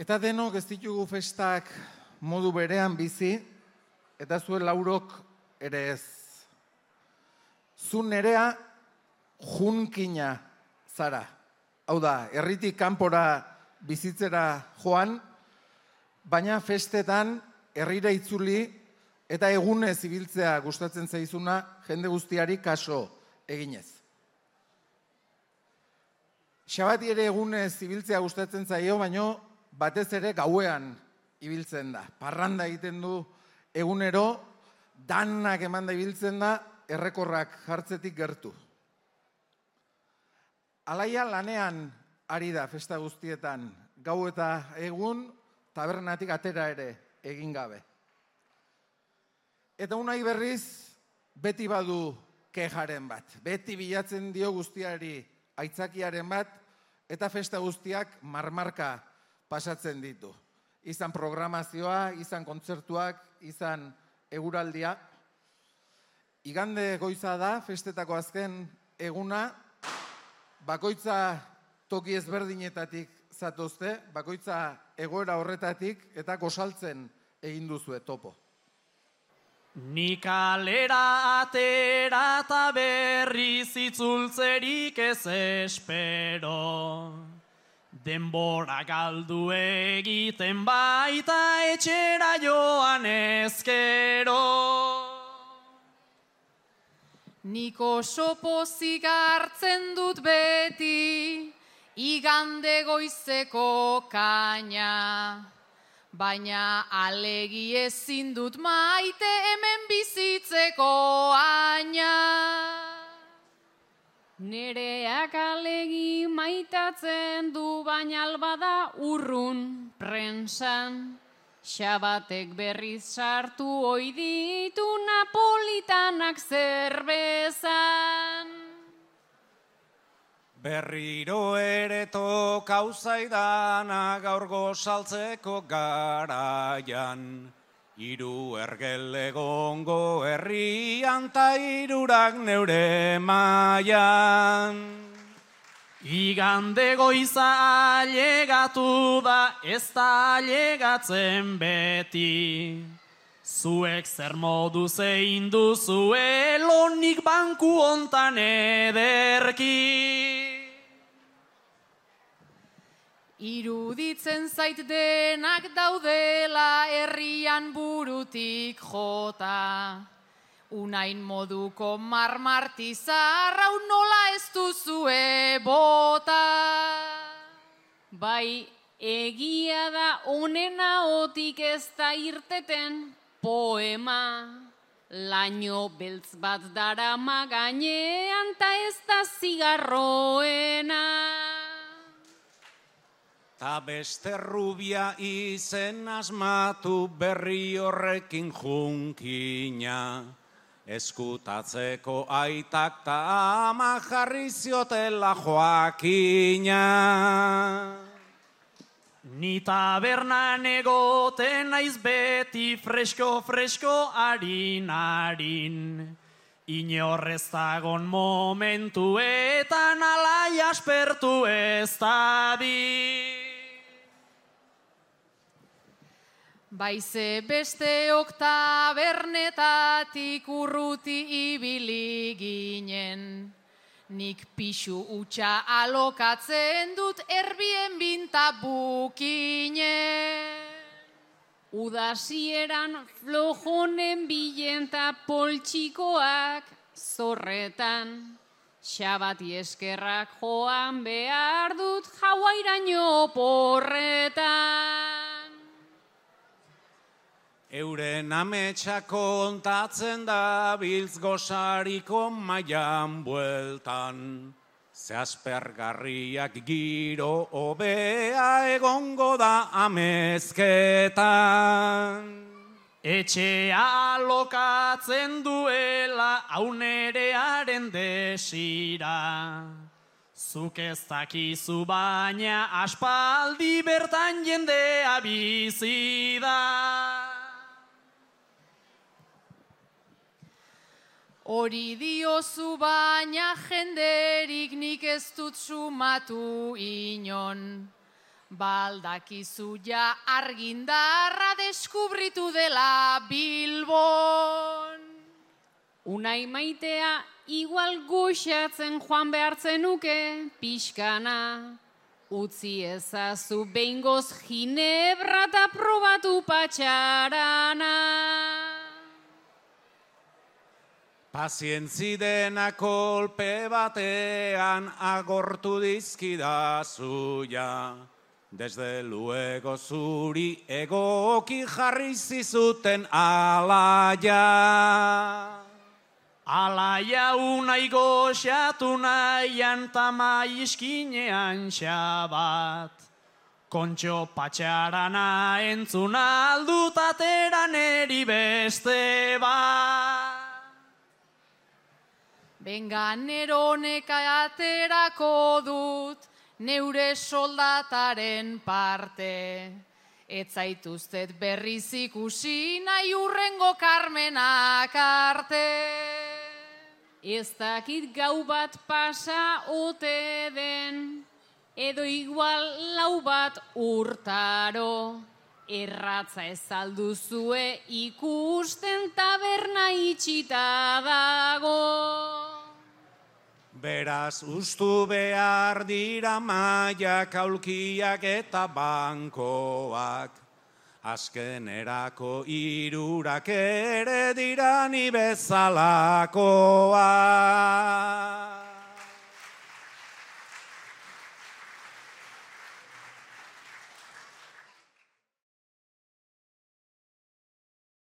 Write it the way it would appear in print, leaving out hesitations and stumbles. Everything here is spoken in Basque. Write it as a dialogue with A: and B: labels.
A: Eta denok ez ditugu festak modu berean bizi, eta zuen laurok ere ez. Zu nerea junkina zara. Hau da, herritik kanpora bizitzera joan, baina festetan herrira itzuli eta egunez ibiltzea gustatzen zaizuna jende guztiari kaso eginez. Xabati ere egunez ibiltzea gustatzen zaio, baino batez ere gauean ibiltzen da. Parranda egiten du egunero, danak emanda ibiltzen da, errekorrak jartzetik gertu. Alaia lanean ari da festa guztietan, gau eta egun, tabernatik atera ere egin gabe. Eta unai berriz, beti badu kejaren bat. Beti bilatzen dio guztiari aitzakiaren bat, eta festa guztiak marmarka pasatzen ditu. Izan programazioa, izan kontzertuak, izan eguraldia. Igande goiza da, festetako azken eguna, bakoitza toki ezberdinetatik zatozte, bakoitza egoera horretatik eta gosaltzen egin duzue topo.
B: Ni kalera atera eta berriz itzultzerik ez espero. Denbora galdu egiten baita etxera joan ezkero.
C: Nik oso pozik hartzen dut beti, igande goizeko kaina. Baina alegi ezin dut maite hemen bizitzeko aina. Nereak alegi maitatzen du, baina albada urrun prensan. Xabatek berriz sartu ohi ditu napolitanak zerbezan.
D: Berriro ere tokau zaidana gaur gozaltzeko garaian. Hiru ergel egongo herrian ta hirurak neure mailan.
B: Igande goiza ailegatu da, ez da ailegatzen beti. Zuek zer modu zein duzue lonik banku hontan ederki.
C: Iruditzen zait denak daudela herrian burutik jota. Unain moduko marmartizarrau nola ez duzue bota. Bai, egia da honena otik ez da irteten poema. Laino beltz bat darama gainean ta ez da zigarroena.
D: Ta beste rubia izen asmatu berri horrekin junkina. Eskutatzeko aitak ta ama jarri ziotela Joakina.
B: Ni tabernan egoten naiz beti fresko harin. Inorrez dagon momentuetan alai aspertu ez dadin.
C: Baize besteok tabernetatik urruti ibili ginen. Nik pixu utxa alokatzen dut Airbnb ta bukinen. Udasieran flojonen bilen ta poltsikoak zorretan. Xabati eskerrak joan behar dut Hawairaino porretan.
D: Euren ametsa kontatzen da biltz gozariko mailan bueltan. Ze aspergarriak giro hobea egongo da amezketan.
B: Etxea alokatzen duela aunerearen desira. Zuk ez dakizu baina aspaldi bertan jendea bizi da.
C: Hori diozu baina jenderik nik ez dut sumatu inon. Baldakizu ja argindarra deskubritu dela Bilbon. Unai maitea igual goxatzen joan behartzen nuke pixkana. Utzi ezazu behingoz ginebra eta probatu patxarana.
D: Pazientzi dena kolpe batean agortu dizkidazu ja. Desde luego zuri egoki jarri zizuten alaia.
B: Alaia unai goxatu nahian tamai iskinean xabat. Kontxo patxarana entzuna aldut ateran eri beste bat.
C: Benga neroneka aterako dut, neure soldataren parte. Ez zaituztet berriz ikusi nahi urrengo Karmenak arte. Ez dakit gau bat pasa ote den, edo igual lau bat urtaro. Erratza ez alduzue ikusten taberna itxita dago.
D: Beraz ustu behar dira maiak, aulkiak eta bankoak. Azkenerako hirurak ere dira ni bezalakoak.